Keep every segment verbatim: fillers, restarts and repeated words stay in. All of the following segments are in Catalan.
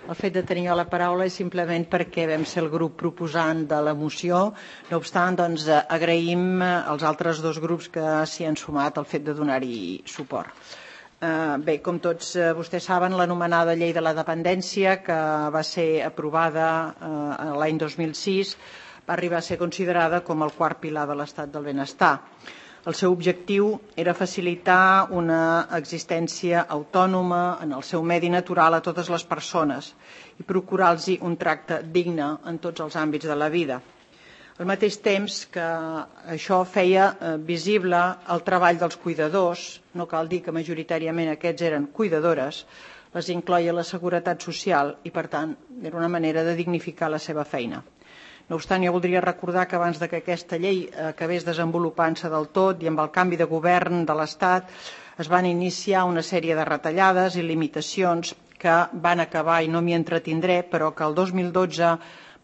El fet de tenir la paraula és simplement perquè vam ser el grup proposant de la moció. No obstant, doncs, agraïm als altres dos grups que s'hi han sumat el fet de donar-hi suport. Bé, com tots vostès saben, l'anomenada Llei de la Dependència, que va ser aprovada l'any dos mil sis, va arribar a ser considerada com el quart pilar de l'estat del benestar. El seu objectiu era facilitar una existència autònoma en el seu medi natural a totes les persones i procurar-los un tracte digne en tots els àmbits de la vida. Al mateix temps que això feia visible el treball dels cuidadors, no cal dir que majoritàriament aquests eren cuidadores, les incloia la seguretat social i, per tant, era una manera de dignificar la seva feina. No obstant, jo voldria recordar que abans que aquesta llei acabés desenvolupant-se del tot i amb el canvi de govern de l'Estat es van iniciar una sèrie de retallades i limitacions que van acabar, i no m'hi entretindré, però que el dos mil dotze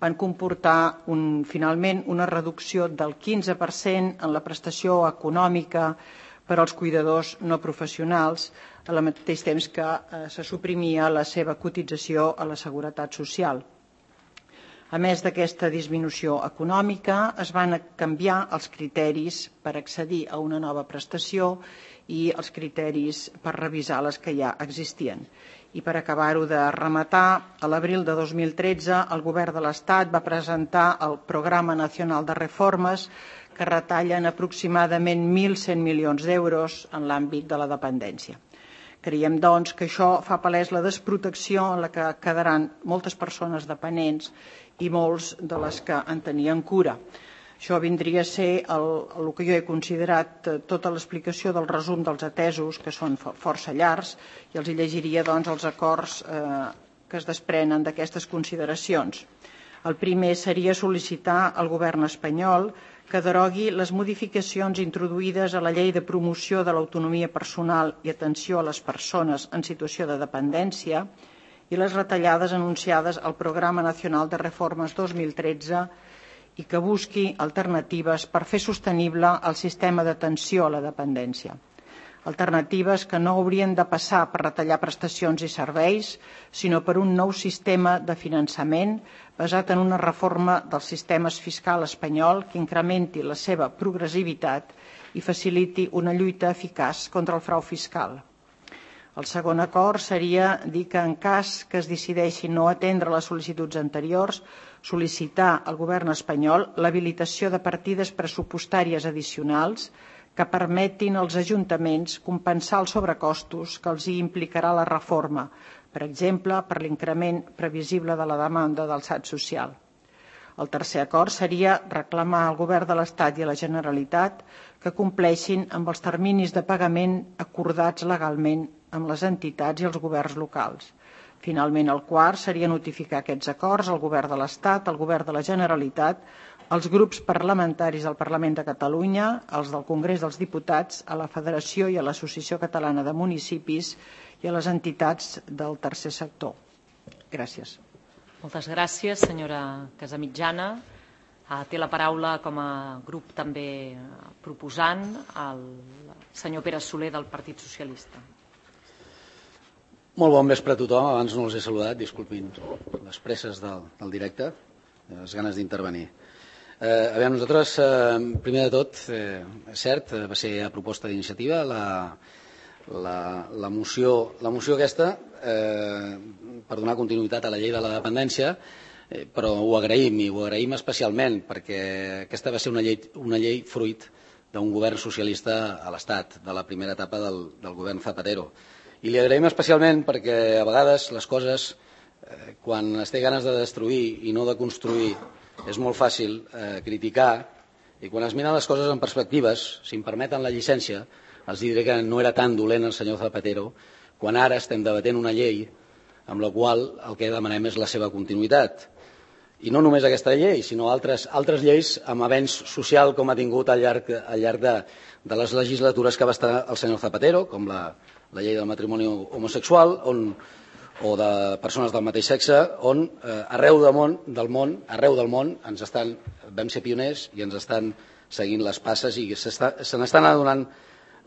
van comportar finalment una reducció del quinze per cent en la prestació econòmica per als cuidadors no professionals, al mateix temps que se suprimia la seva cotització a la Seguretat Social. A més d'aquesta disminució econòmica, es van canviar els criteris per accedir a una nova prestació i els criteris per revisar les que ja existien. I per acabar-ho de rematar, a l'abril de dos mil tretze el Govern de l'Estat va presentar el Programa Nacional de Reformes que retallen aproximadament mil cent milions d'euros en l'àmbit de la dependència. Creiem, doncs, que això fa palès la desprotecció en la que quedaran moltes persones dependents i molts de les que en tenien cura. Això vindria a ser el, el que jo he considerat tota l'explicació del resum dels atesos, que són força llargs, i els llegiria doncs, els acords eh, que es desprenen d'aquestes consideracions. El primer seria sol·licitar al govern espanyol que derogui les modificacions introduïdes a la Llei de Promoció de l'Autonomia Personal i Atenció a les Persones en Situació de Dependència i les retallades anunciades al Programa Nacional de Reformes dos mil tretze i que busqui alternatives per fer sostenible el sistema d'atenció a la dependència. Alternatives que no haurien de passar per retallar prestacions i serveis, sinó per un nou sistema de finançament basat en una reforma del sistema fiscal espanyol que incrementi la seva progressivitat i faciliti una lluita eficaç contra el frau fiscal. El segon acord seria dir que en cas que es decideixi no atendre les sol·licituds anteriors, sol·licitar al govern espanyol l'habilitació de partides pressupostàries addicionals que permetin als ajuntaments compensar els sobrecostos que els hi implicarà la reforma, per exemple, per l'increment previsible de la demanda del S A T social. El tercer acord seria reclamar al govern de l'Estat i a la Generalitat que compleixin amb els terminis de pagament acordats legalment amb les entitats i els governs locals. Finalment, el quart seria notificar aquests acords al govern de l'Estat, al govern de la Generalitat, als grups parlamentaris del Parlament de Catalunya, als del Congrés dels Diputats, a la Federació i a l'Associació Catalana de Municipis i a les entitats del tercer sector. Gràcies. Moltes gràcies, senyora Casamitjana. Té la paraula com a grup també proposant el senyor Pere Soler del Partit Socialista. Molt bon vespre a tothom. Abans no els he saludat, disculpin les presses del, del directe, les ganes d'intervenir. Eh, a veure, nosaltres, eh, primer de tot, eh, és cert, va ser a proposta d'iniciativa la, la, la, moció, la moció aquesta eh, per donar continuïtat a la llei de la dependència, eh, però ho agraïm i ho agraïm especialment perquè aquesta va ser una llei, una llei fruit d'un govern socialista a l'Estat, de la primera etapa del, del govern Zapatero. I li agraïm especialment perquè a vegades les coses, eh, quan es té ganes de destruir i no de construir, és molt fàcil eh, criticar, i quan es miren les coses en perspectives, si em permeten la llicència, els diré que no era tan dolent el senyor Zapatero, quan ara estem debatent una llei amb la qual el que demanem és la seva continuïtat. I no només aquesta llei, sinó altres, altres lleis amb avenç social com ha tingut al llarg, al llarg de, de les legislatures que va estar el senyor Zapatero, com la, la llei del matrimoni homosexual, on, o de persones del mateix sexe, on eh, arreu del món, del món, arreu del món ens estan, vam ser pioners i ens estan seguint les passes i se n'estan adonant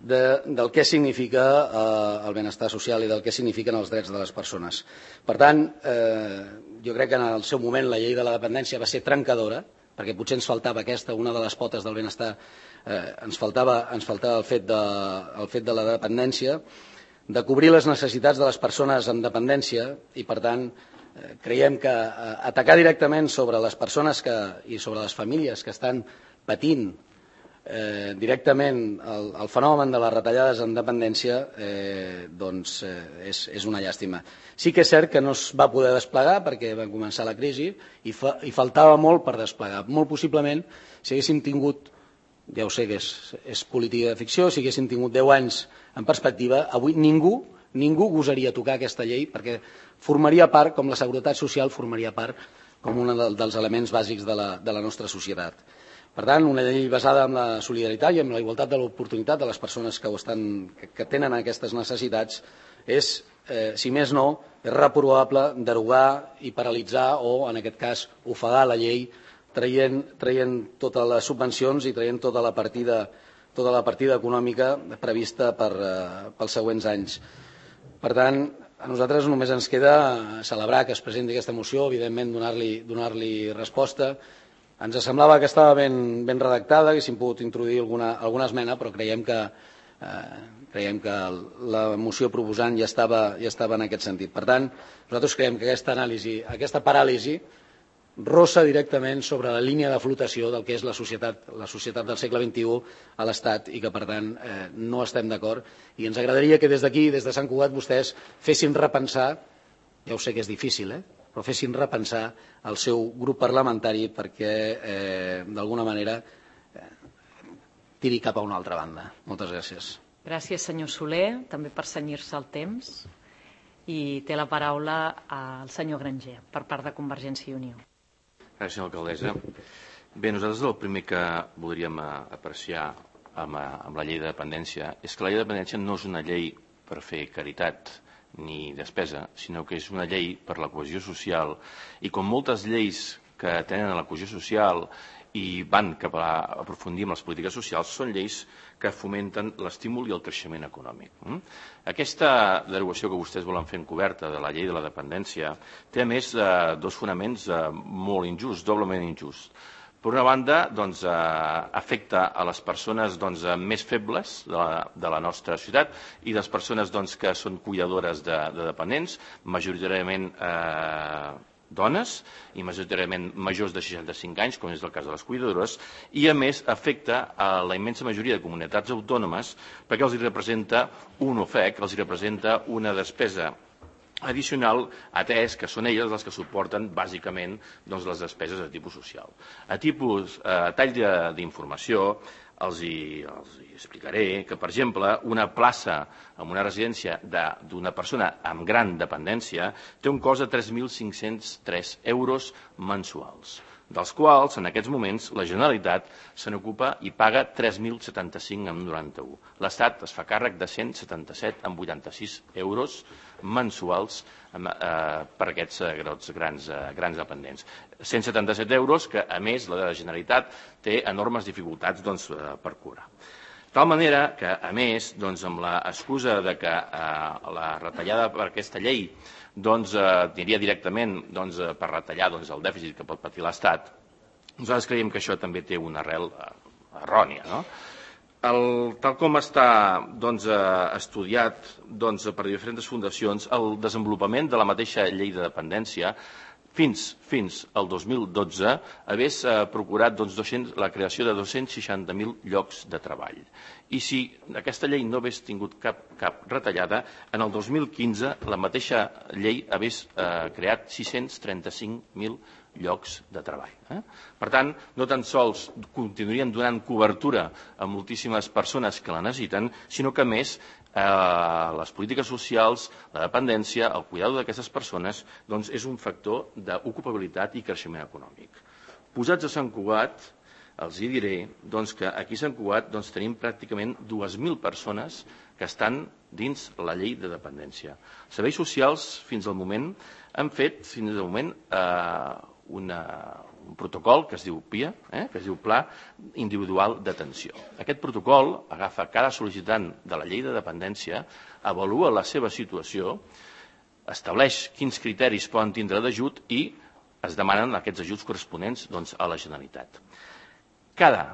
de, del què significa eh, el benestar social i del què signifiquen els drets de les persones. Per tant, eh, jo crec que en el seu moment la llei de la dependència va ser trencadora, perquè potser ens faltava aquesta, una de les potes del benestar, eh, ens faltava, ens faltava el, fet de, el fet de la dependència, de cobrir les necessitats de les persones amb dependència i, per tant, eh, creiem que eh, atacar directament sobre les persones que, i sobre les famílies que estan patint eh, directament el, el fenomen de les retallades en dependència eh, doncs, eh, és, és una llàstima. Sí que és cert que no es va poder desplegar perquè va començar la crisi i, fa, i faltava molt per desplegar. Molt possiblement, si haguéssim tingut, ja ho sé que és, és política de ficció, si haguéssim tingut deu anys en perspectiva, avui ningú, ningú gosaria tocar aquesta llei perquè formaria part, com la seguretat social, formaria part com un dels elements bàsics de la, de la nostra societat. Per tant, una llei basada en la solidaritat i en la igualtat de l'oportunitat de les persones que, ho estan, que, que tenen aquestes necessitats és, eh, si més no, és reprovable derogar i paralitzar o, en aquest cas, ofegar la llei traient, traient totes les subvencions i traient tota la partida, tota la partida econòmica prevista per, eh, pels següents anys. Per tant, a nosaltres només ens queda celebrar que es presenti aquesta moció, evidentment donar-li donar-li resposta. Ens semblava que estava ben, ben redactada, haguéssim pogut introduir alguna, alguna esmena, però creiem que, eh, creiem que la moció proposant ja estava, ja estava en aquest sentit. Per tant, nosaltres creiem que aquesta anàlisi, aquesta paràlisi, rossa directament sobre la línia de flotació del que és la societat, la societat del segle vint-i-u a l'Estat i que, per tant, eh, no estem d'acord. I ens agradaria que des d'aquí, des de Sant Cugat, vostès fessin repensar, ja ho sé que és difícil, eh? però fessin repensar el seu grup parlamentari perquè, eh, d'alguna manera, eh, tiri cap a una altra banda. Moltes gràcies. Gràcies, senyor Soler, també per cenyir-se el temps. I té la paraula el senyor Granger, per part de Convergència i Unió. Gràcies, senyora alcaldessa. Bé, nosaltres el primer que voldríem apreciar amb, amb la llei de dependència és que la llei de dependència no és una llei per fer caritat ni despesa, sinó que és una llei per la cohesió social i com moltes lleis que tenen la cohesió social i van cap a aprofundir en les polítiques socials, són lleis que fomenten l'estímul i el creixement econòmic. Aquesta derogació que vostès volen fer encoberta de la llei de la dependència té a més dos fonaments molt injusts, doblement injusts. Per una banda, doncs, eh, afecta a les persones doncs, més febles de la, de la nostra ciutat i les persones doncs, que són cuidadores de, de dependents, majoritàriament eh, dones i majoritàriament majors de seixanta-cinc anys, com és el cas de les cuidadores, i a més afecta a la immensa majoria de comunitats autònomes perquè els hi representa un ofec, els hi representa una despesa addicional, atès que són elles les que suporten bàsicament doncs, les despeses de tipus social. A tipus, a tall d'informació, els hi, els hi explicaré que, per exemple, una plaça en una residència d'una persona amb gran dependència té un cost de tres mil cinc-cents tres euros mensuals, dels quals, en aquests moments, la Generalitat se n'ocupa i paga tres mil setanta-cinc coma noranta-u. L'Estat es fa càrrec de cent setanta-set coma vuitanta-sis euros mensuals eh, per aquests eh, grans, eh, grans dependents. cent setanta-set euros que, a més, la Generalitat té enormes dificultats doncs, eh, per cobrar. De tal manera que, a més, doncs, amb l'excusa de que eh, la retallada per aquesta llei doncs, eh, aniria directament doncs, per retallar doncs, el dèficit que pot patir l'Estat, nosaltres creiem que això també té una arrel eh, errònia, no? El, tal com està doncs, estudiat doncs, per diferents fundacions, el desenvolupament de la mateixa llei de dependència fins, fins al dos mil dotze hagués eh, procurat doncs, dos-cents, la creació de dos-cents seixanta mil llocs de treball. I si aquesta llei no hagués tingut cap, cap retallada, en el dos mil quinze la mateixa llei hagués eh, creat sis-cents trenta-cinc mil llocs de treball. Eh? Per tant, no tan sols continuarien donant cobertura a moltíssimes persones que la necessiten, sinó que, a més, eh, les polítiques socials, la dependència, el cuidado d'aquestes persones, doncs, és un factor d'ocupabilitat i creixement econòmic. Posats a Sant Cugat, els hi diré doncs, que aquí a Sant Cugat doncs, tenim pràcticament dues mil persones que estan dins la llei de dependència. Els serveis socials, fins al moment, han fet, fins al moment, eh, una, un protocol que es diu P I A, eh, que es diu Pla Individual d'Atenció. Aquest protocol agafa cada sol·licitant de la llei de dependència, avalua la seva situació, estableix quins criteris poden tindre d'ajut i es demanen aquests ajuts corresponents doncs, a la Generalitat. Cada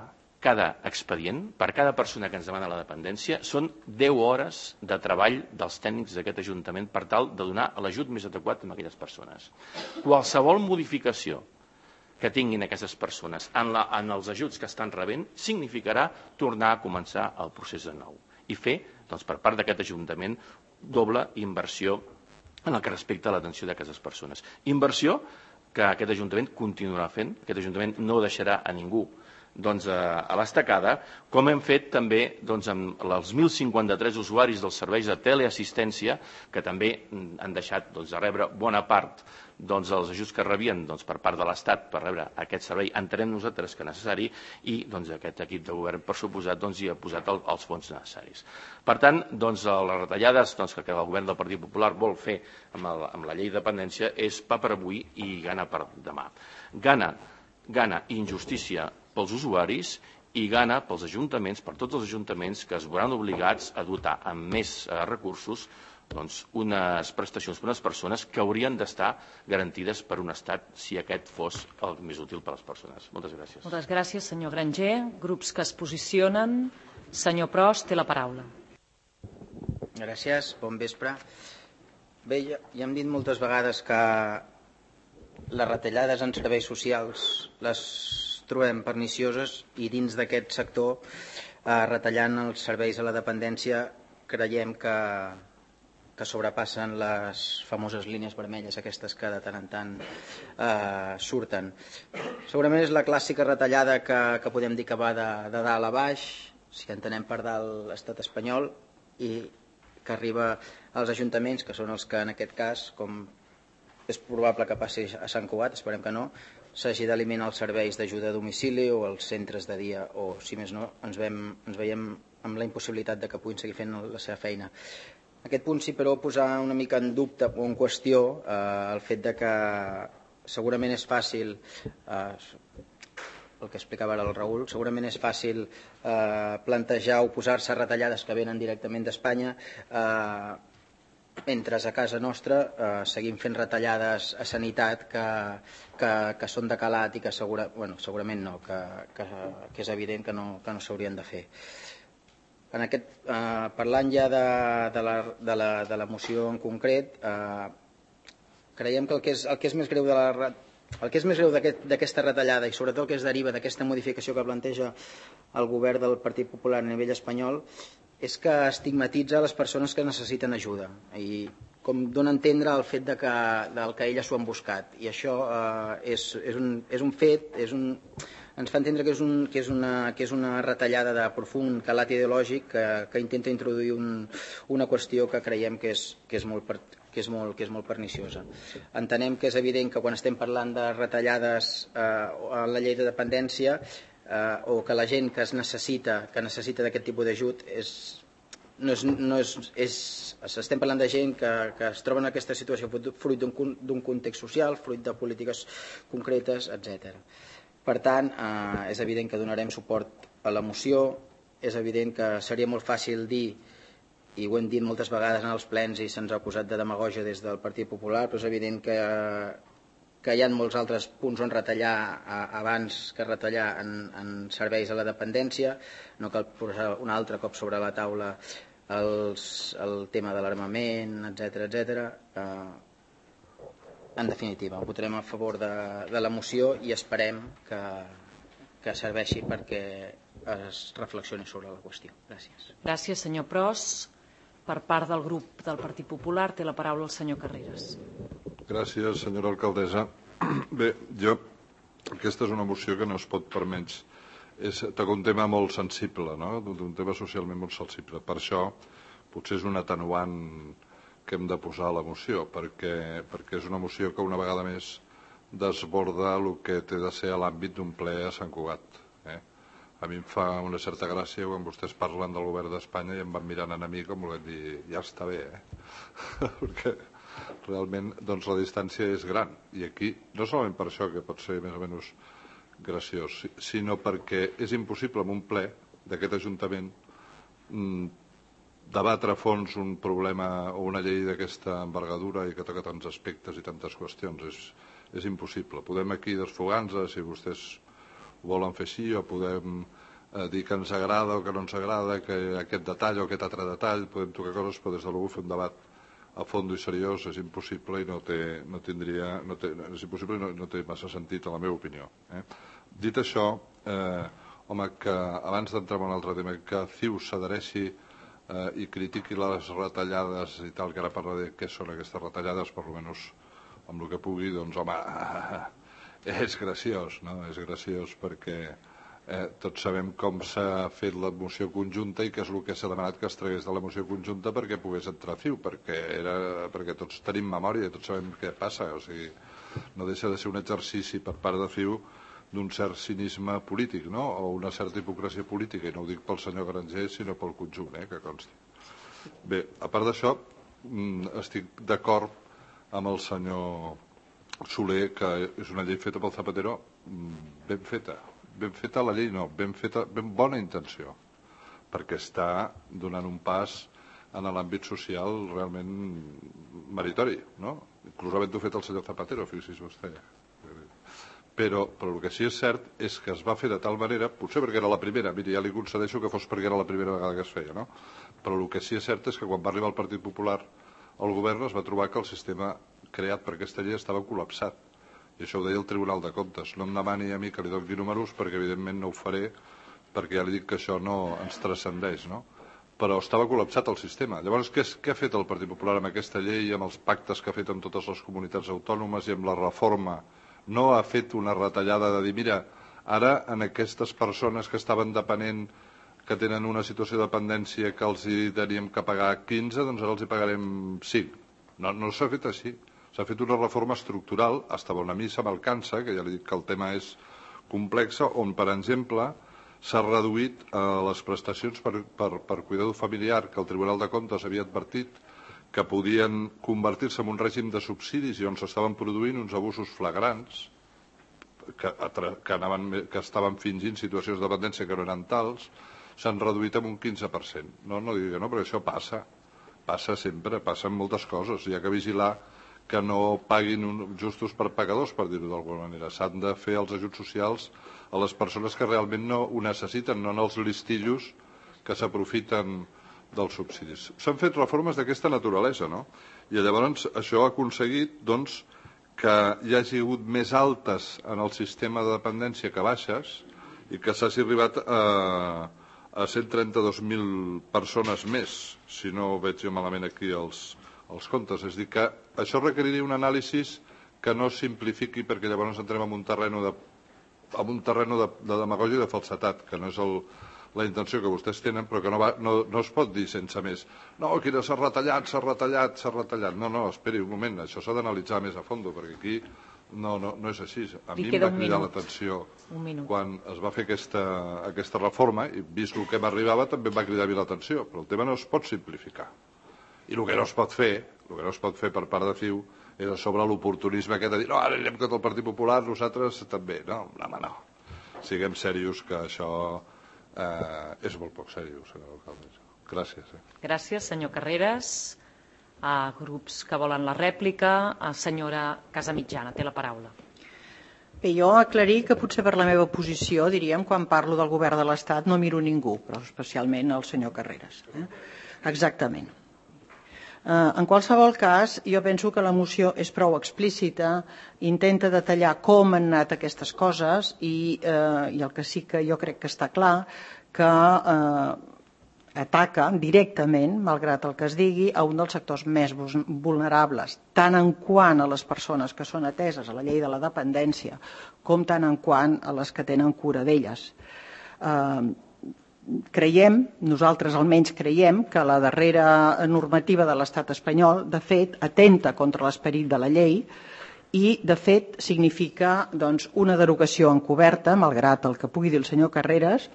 Cada expedient, per cada persona que ens demana la dependència, són deu hores de treball dels tècnics d'aquest Ajuntament per tal de donar l'ajut més adequat a aquelles persones. Qualsevol modificació que tinguin aquestes persones en, la, en els ajuts que estan rebent significarà tornar a començar el procés de nou i fer, doncs, per part d'aquest Ajuntament, doble inversió en el que respecta a l'atenció d'aquestes persones. Inversió que aquest Ajuntament continuarà fent, aquest Ajuntament no deixarà a ningú doncs, a l'estacada, com hem fet també doncs, amb els mil cinquanta-tres usuaris dels serveis de teleassistència que també han deixat doncs, de rebre bona part doncs, dels ajuts que rebien doncs, per part de l'Estat per rebre aquest servei, entenem nosaltres que necessari i doncs, aquest equip de govern, per suposat, doncs, hi ha posat el, els fons necessaris. Per tant, doncs, les retallades doncs, que el govern del Partit Popular vol fer amb, el, amb la llei de dependència és pa per avui i gana per demà. Gana, gana injustícia pels usuaris i gana pels ajuntaments, per tots els ajuntaments que es veuran obligats a dotar amb més eh, recursos doncs, unes prestacions per a unes persones que haurien d'estar garantides per un Estat si aquest fos el més útil per a les persones. Moltes gràcies. Moltes gràcies, senyor Granger. Grups que es posicionen. Senyor Pros, té la paraula. Gràcies, bon vespre. Bé, ja, ja hem dit moltes vegades que les retallades en serveis socials les trobem pernicioses i dins d'aquest sector, eh, retallant els serveis a la dependència, creiem que, que sobrepassen les famoses línies vermelles, aquestes que de tant en tant eh, surten. Segurament és la clàssica retallada que, que podem dir que va de, de dalt a baix, si entenem per dalt l'estat espanyol, i que arriba als ajuntaments, que són els que en aquest cas, com és probable que passi a Sant Cugat, esperem que no, s'hagi d'eliminar els serveis d'ajuda a domicili o els centres de dia, o si més no ens, vem, ens veiem amb la impossibilitat de que puguin seguir fent la seva feina. Aquest punt sí, però, posar una mica en dubte o en qüestió eh, el fet de que segurament és fàcil, eh, el que explicava ara el Raül, segurament és fàcil eh, plantejar o posar-se a retallades que venen directament d'Espanya, eh, mentre a casa nostra eh, seguim fent retallades a sanitat que, que, que són de calat i que segura, bueno, segurament no, que, que, que és evident que no, que no s'haurien de fer. En aquest, eh, parlant ja de, de, la, de, la, de la moció en concret, eh, creiem que el que és, el que és més greu de la el que és més greu d'aquesta aquest, retallada i sobretot el que es deriva d'aquesta modificació que planteja el govern del Partit Popular a nivell espanyol és que estigmatitza les persones que necessiten ajuda i com dona a entendre el fet de que, del que elles s'ho han buscat. I això eh, és, és, un, és un fet, és un, ens fa entendre que és, un, que, és una, que és una retallada de profund calat ideològic que, que intenta introduir un, una qüestió que creiem que és, que és molt que és, molt, que és molt perniciosa. Entenem que és evident que quan estem parlant de retallades eh, a la llei de dependència eh, o que la gent que es necessita que necessita d'aquest tipus d'ajut és, no és, no és, és, estem parlant de gent que, que es troba en aquesta situació fruit d'un context social, fruit de polítiques concretes, etcètera. Per tant, eh, és evident que donarem suport a la moció, és evident que seria molt fàcil dir, i ho hem dit moltes vegades en els plens i se'ns ha acusat de demagògia des del Partit Popular, però és evident que, que hi ha molts altres punts on retallar a, abans que retallar en, en serveis a la dependència. No cal posar un altre cop sobre la taula els, el tema de l'armament, etcètera, etcètera. Eh, en definitiva, votarem a favor de, de la moció i esperem que, que serveixi perquè es reflexioni sobre la qüestió. Gràcies. Gràcies, senyor Pros. Per part del grup del Partit Popular té la paraula el senyor Carreras. Gràcies, senyora alcaldessa. Bé, jo, aquesta és una moció que no es pot per menys. És, toca un tema molt sensible, no? Un tema socialment molt sensible. Per això, potser és un atenuant que hem de posar a la moció, perquè, perquè és una moció que una vegada més desborda el que té de ser a l'àmbit d'un ple a Sant Cugat. Eh? A mi em fa una certa gràcia quan vostès parlen del govern d'Espanya i em van mirant a mi com volent dir, ja està bé, eh? Perquè realment doncs, la distància és gran. I aquí, no solament per això, que pot ser més o menys graciós, sinó perquè és impossible en un ple d'aquest Ajuntament debatre a fons un problema o una llei d'aquesta envergadura i que toca tants aspectes i tantes qüestions. És, és impossible. Podem aquí desfogar-nos, si vostès ho volen fer així, o podem eh, dir que ens agrada o que no ens agrada, que aquest detall o aquest altre detall, podem tocar coses, però des de l'algú fer un debat a fons i seriós és impossible i no té, no tindria, no té, és impossible i no, no té massa sentit, en la meva opinió. Eh? Dit això, eh, home, que abans d'entrar en un altre tema, que C I U s'adhereixi eh, i critiqui les retallades i tal, que ara parla de què són aquestes retallades, per almenys amb el que pugui, doncs, home, és graciós, no? És graciós perquè eh, tots sabem com s'ha fet la moció conjunta i què és el que s'ha demanat que es tragués de la moció conjunta perquè pogués entrar C I U, perquè, era, perquè tots tenim memòria i tots sabem què passa, o sigui, no deixa de ser un exercici per part de C I U d'un cert cinisme polític, no? O una certa hipocresia política, i no ho dic pel senyor Granger, sinó pel conjunt, eh, que consti. Bé, a part d'això, estic d'acord amb el senyor Soler, que és una llei feta pel Zapatero, ben feta. Ben feta la llei, no, ben feta, ben bona intenció, perquè està donant un pas en l'àmbit social realment meritori, no? Inclús havent-ho fet el senyor Zapatero, fixi's vostè. Però, però el que sí és cert és que es va fer de tal manera, potser perquè era la primera, miri, ja li concedeixo que fos perquè era la primera vegada que es feia, no? Però el que sí és cert és que quan va arribar el Partit Popular al govern es va trobar que el sistema creat per aquesta llei estava col·lapsat. I això ho deia el Tribunal de Comptes. No em demani a mi que li doni números perquè evidentment no ho faré, perquè ja li dic que això no ens transcendeix, no? Però estava col·lapsat el sistema. Llavors, què, què ha fet el Partit Popular amb aquesta llei, amb els pactes que ha fet amb totes les comunitats autònomes i amb la reforma? No ha fet una retallada de dir, mira, ara en aquestes persones que estaven depenent, que tenen una situació de dependència que els hi teníem que pagar quinze, doncs ara els hi pagarem cinc. No, no s'ha fet així. S'ha fet una reforma estructural, hasta on a mi se m'alcança, que ja li dic que el tema és complex, on, per exemple, s'ha reduït eh, les prestacions per, per, per cuidador familiar, que el Tribunal de Comptes havia advertit que podien convertir-se en un règim de subsidis i on s'estaven produint uns abusos flagrants que, que, anaven, que estaven fingint situacions de dependència que no eren tals, s'han reduït en un quinze per cent. No, no digui que no, perquè això passa. Passa sempre, passen moltes coses. Hi ha que vigilar que no paguin un, justos per pagadors, per dir-ho d'alguna manera. S'han de fer els ajuts socials a les persones que realment no ho necessiten, no en els listillos que s'aprofiten dels subsidis. S'han fet reformes d'aquesta naturalesa, no? I llavors això ha aconseguit doncs, que hi hagi hagut més altes en el sistema de dependència que baixes i que s'hagi arribat a, a cent trenta-dos mil persones més, si no veig jo malament aquí els, els comptes. És a dir, que això requeriria un anàlisi que no simplifiqui, perquè llavors entrem en un terreny de, en un terreny de, de demagògia i de falsetat, que no és el la intenció que vostès tenen, però que no, va, no, no es pot dir sense més. No, aquí s'ha retallat, s'ha retallat, s'ha retallat. No, no, esperi un moment, això s'ha d'analitzar més a fons, perquè aquí no, no, no és així. A mi em va cridar l'atenció quan es va fer aquesta, aquesta reforma, i vist el que m'arribava també em va cridar l'atenció, però el tema no es pot simplificar. I el que no es pot fer, el que no es pot fer per part de C I U, és a sobre l'oportunisme aquest de dir, no, ara anem contra el Partit Popular, nosaltres també. No, home, no. Siguem serios, que això Uh, és molt poc seriós, senyor alcalde. Gràcies. Eh? Gràcies, senyor Carreras. A grups que volen la rèplica, a senyora Casamitjana, té la paraula. Bé, jo aclarir que potser per la meva posició, diríem, quan parlo del govern de l'Estat no miro ningú, però especialment el senyor Carreras. Eh? Exactament. Uh, en qualsevol cas, jo penso que la moció és prou explícita, intenta detallar com han anat aquestes coses i, uh, i el que sí que jo crec que està clar, que uh, ataca directament, malgrat el que es digui, a un dels sectors més vulnerables, tant en quant a les persones que són ateses a la llei de la dependència, com tant en quant a les que tenen cura d'elles. Uh, Creiem, nosaltres almenys creiem, que la darrera normativa de l'Estat espanyol, de fet, atenta contra l'esperit de la llei i, de fet, significa doncs, una derogació encoberta, malgrat el que pugui dir el senyor Carreras,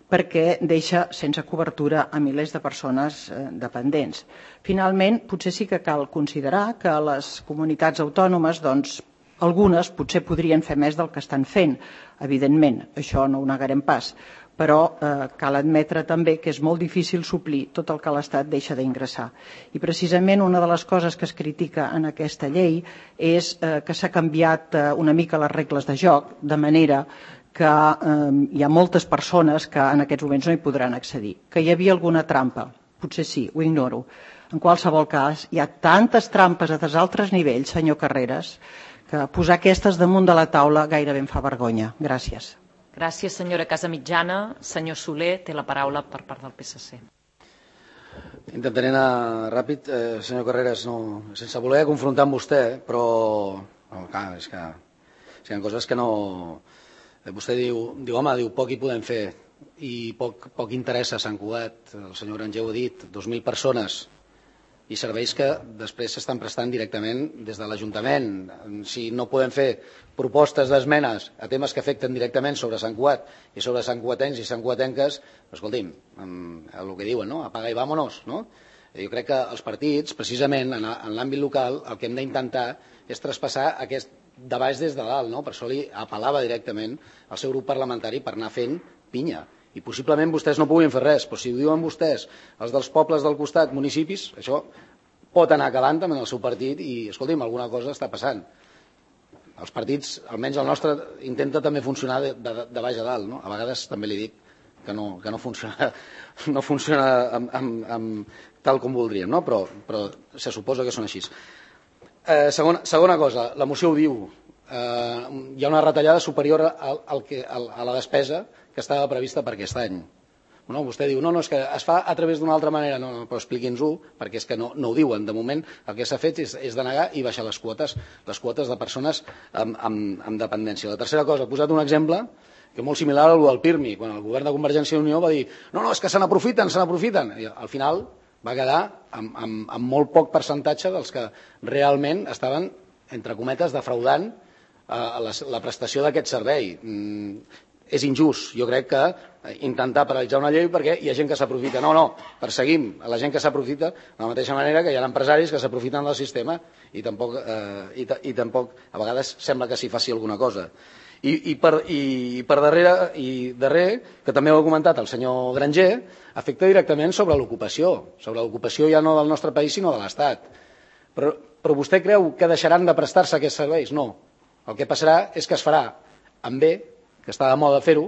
perquè deixa sense cobertura a milers de persones dependents. Finalment, potser sí que cal considerar que les comunitats autònomes, doncs, algunes potser podrien fer més del que estan fent, evidentment, això no ho negarem pas, però eh, cal admetre també que és molt difícil suplir tot el que l'Estat deixa d'ingressar. I precisament una de les coses que es critica en aquesta llei és eh, que s'ha canviat eh, una mica les regles de joc, de manera que eh, hi ha moltes persones que en aquests moments no hi podran accedir. Que hi havia alguna trampa? Potser sí, ho ignoro. En qualsevol cas, hi ha tantes trampes a dels altres nivells, senyor Carreras, que posar aquestes damunt de la taula gairebé em fa vergonya. Gràcies. Gràcies, senyora Casamitjana. Senyor Soler, té la paraula per part del P S C. Intentaré anar ràpid. Eh, senyor Carreras, no, sense voler confrontar amb vostè, però no, clar, és que hi ha coses que no... Vostè diu, diu, home, diu, poc hi podem fer i poc, poc interessa a Sant Cugat. El senyor Granger ho ha dit, dos mil persones i serveis que després s'estan prestant directament des de l'Ajuntament. Si no podem fer propostes d'esmenes a temes que afecten directament sobre Sant Cugat i sobre santcuatencs i santcuatenques, escolti'm, el que diuen, no? Apaga i vámonos, no? Jo crec que els partits, precisament en l'àmbit local, el que hem d'intentar és traspassar aquest de baix des de dalt, no? Per això li apel·lava directament al seu grup parlamentari per anar fent pinya. I possiblement vostès no puguin fer res, però si ho diuen vostès, els dels pobles del costat, municipis, això pot anar calant també en el seu partit i, escolti'm, alguna cosa està passant. Els partits, almenys el nostre, intenta també funcionar de, de, de baix a dalt, no? A vegades també li dic que no, que no funciona, no funciona amb, amb, amb, tal com voldríem, no? Però, però se suposa que són així. Eh, segona, segona cosa, la moció ho diu, eh, hi ha una retallada superior al, al que, al, a la despesa que estava prevista per aquest any. No, vostè diu, no, no, és que es fa a través d'una altra manera, no, no, però expliqui'ns-ho, perquè és que no, no ho diuen. De moment el que s'ha fet és, és denegar i baixar les quotes, les quotes de persones amb, amb, amb dependència. La tercera cosa, he posat un exemple que és molt similar al del PIRMI, quan el govern de Convergència i Unió va dir, no, no, és que se n'aprofiten, se n'aprofiten. I al final va quedar amb, amb, amb molt poc percentatge dels que realment estaven, entre cometes, defraudant eh, la, la prestació d'aquest servei. Mm, és injust, jo crec que intentar paralitzar una llei perquè hi ha gent que s'aprofita. No, no, perseguim a la gent que s'aprofita de la mateixa manera que hi ha empresaris que s'aprofiten del sistema i tampoc, eh, i, i tampoc a vegades sembla que s'hi faci alguna cosa. I, i, per, i per darrere, i darrer, que també ho ha comentat el senyor Granger, afecta directament sobre l'ocupació, sobre l'ocupació ja no del nostre país sinó de l'Estat. Però, però vostè creu que deixaran de prestar-se aquests serveis? No. El que passarà és que es farà amb bé, que està de moda fer-ho,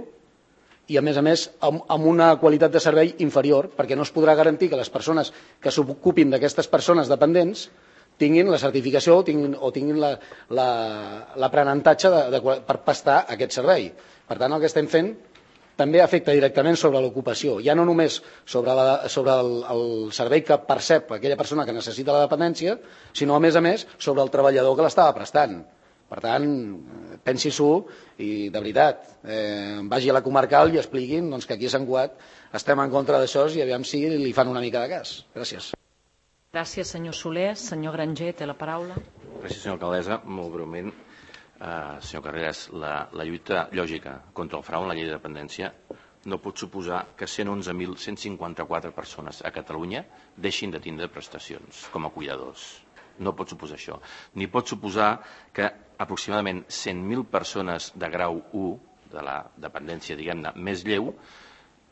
i a més a més amb una qualitat de servei inferior, perquè no es podrà garantir que les persones que s'ocupin d'aquestes persones dependents tinguin la certificació o tinguin, o tinguin l'aprenentatge la, la, per prestar aquest servei. Per tant, el que estem fent també afecta directament sobre l'ocupació, ja no només sobre, la, sobre el, el servei que percep aquella persona que necessita la dependència, sinó a més a més sobre el treballador que l'estava prestant. Per tant, pensi-s'ho i, de veritat, eh, vagi a la comarcal i expliquin doncs, que aquí a Sant Cugat estem en contra d'això i aviam si li fan una mica de cas. Gràcies. Gràcies, senyor Soler. Senyor Granger, té la paraula. Gràcies, senyora alcaldessa. Molt breument, eh, senyor Carreras, la, la lluita lògica contra el frau en la llei de dependència no pot suposar que cent onze mil cent cinquanta-quatre persones a Catalunya deixin de tindre prestacions com a cuidadors. No pot suposar això. Ni pot suposar que aproximadament cent mil persones de grau u, de la dependència, diguem-ne, més lleu,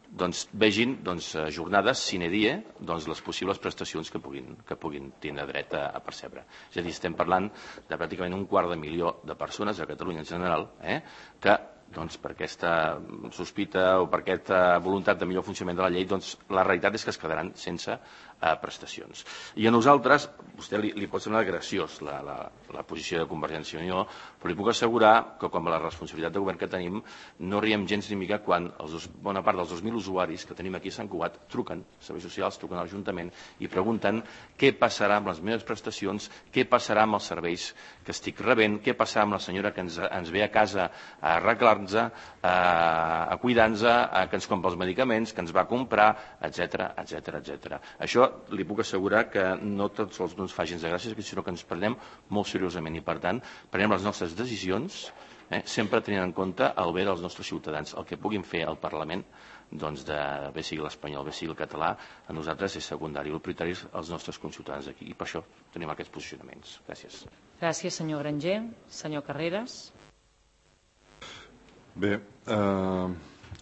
doncs, vegin doncs, jornades sine die doncs, les possibles prestacions que puguin, que puguin tenir dret a, a percebre. És a dir, estem parlant de pràcticament un quart de milió de persones a Catalunya en general eh, que doncs, per aquesta sospita o per aquesta voluntat de millor funcionament de la llei, doncs, la realitat és que es quedaran sense eh, prestacions. I a nosaltres, vostè li, li pot semblar graciós la, la, la posició de Convergència i Unió, però li puc assegurar que com a la responsabilitat de govern que tenim, no riem gens ni mica quan els dos, bona part dels dos mil usuaris que tenim aquí a Sant Cugat truquen, serveis socials, truquen a l'Ajuntament i pregunten què passarà amb les meves prestacions, què passarà amb els serveis que estic rebent, què passarà amb la senyora que ens, ens ve a casa a arreglar a, a cuidar-nos, que ens compra els medicaments, que ens va comprar, etcètera, etcètera, etcètera. Això li puc assegurar que no tots els no ens fa gens de gràcia, sinó que ens prenem molt seriosament i, per tant, prenem les nostres decisions eh? Sempre tenint en compte el bé dels nostres ciutadans. El que puguin fer al Parlament, doncs, de, bé sigui l'espanyol, bé sigui el català, a nosaltres és secundari. El prioritari és els nostres conciutadans aquí, i per això tenim aquests posicionaments. Gràcies. Gràcies, senyor Granger. Senyor Carreras. Bé, eh,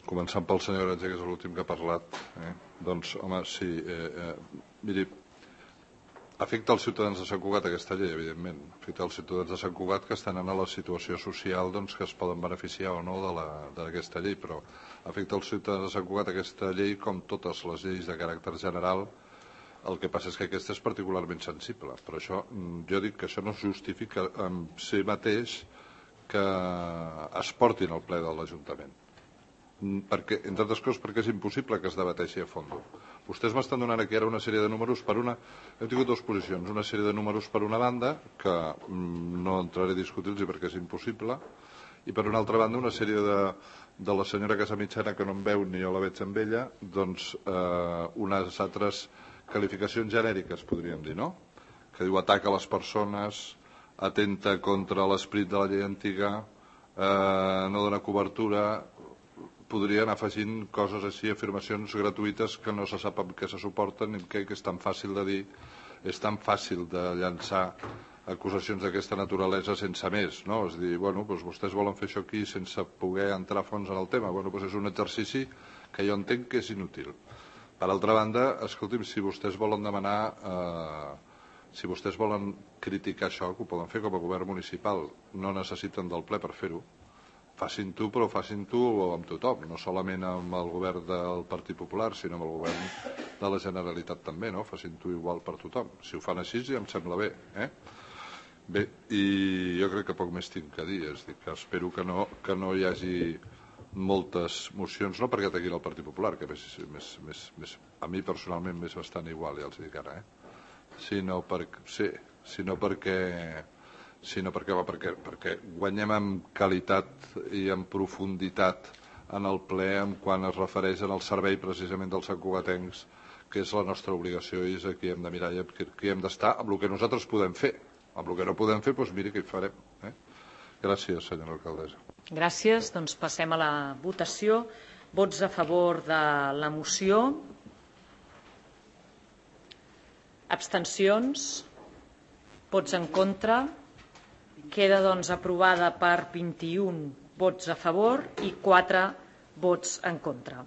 començant pel senyor Granger, que és l'últim que ha parlat, eh? Doncs, home, sí, eh, eh, miri, afecta els ciutadans de Sant Cugat aquesta llei, evidentment. Afecta els ciutadans de Sant Cugat que estan en la situació social, doncs, que es poden beneficiar o no d'aquesta llei, però afecta els ciutadans de Sant Cugat aquesta llei com totes les lleis de caràcter general. El que passa és que aquesta és particularment sensible. Per això jo dic que això no es justifica en si mateix que es portin al ple de l'Ajuntament. Perquè, entre altres coses, perquè és impossible que es debateixi a fons. Vostès m'estan donant aquí ara una sèrie de números per una... Hem tingut dues posicions, una sèrie de números per una banda, que no entraré a discutir-los perquè és impossible, i per una altra banda una sèrie de, de la senyora Casamitjana, que no em veu ni jo la veig amb ella, doncs eh, unes altres qualificacions genèriques, podríem dir, no? Que diu ataca les persones, atenta contra l'esperit de la llei antiga, eh, no dona cobertura... Podria anar afegint coses així, afirmacions gratuïtes que no se sap amb què se suporten i que és tan fàcil de dir, és tan fàcil de llançar acusacions d'aquesta naturalesa sense més, no? És dir, bueno, doncs vostès volen fer això aquí sense poder entrar a fons en el tema. Bueno, doncs és un exercici que jo entenc que és inútil. Per altra banda, escolti'm, si vostès volen demanar, eh, si vostès volen criticar això, que ho poden fer com a govern municipal, no necessiten del ple per fer-ho. Facin-ho, però facin-ho amb tothom, no solament amb el govern del Partit Popular, sinó amb el govern de la Generalitat també, no? Facin-ho igual per tothom. Si ho fan així, ja em sembla bé. Eh? Bé, i jo crec que poc més tinc a dir, és dir, que espero que no, que no hi hagi moltes mocions, no perquè ataquin el Partit Popular, que més, més, més, més, a mi personalment m'és bastant igual, ja els dic ara, eh? sinó, per, sí, sinó perquè... sinó perquè, va, perquè, perquè guanyem en qualitat i en profunditat en el ple en quan es refereix al servei precisament dels santcugatencs, que és la nostra obligació i és aquí hem de mirar i aquí hem d'estar amb el que nosaltres podem fer. Amb el que no podem fer, doncs miri què hi farem. Eh? Gràcies, senyora alcaldessa. Gràcies. Doncs passem a la votació. Vots a favor de la moció. Abstencions. Vots en contra. Queda, doncs, aprovada per vint-i-un vots a favor i quatre vots en contra.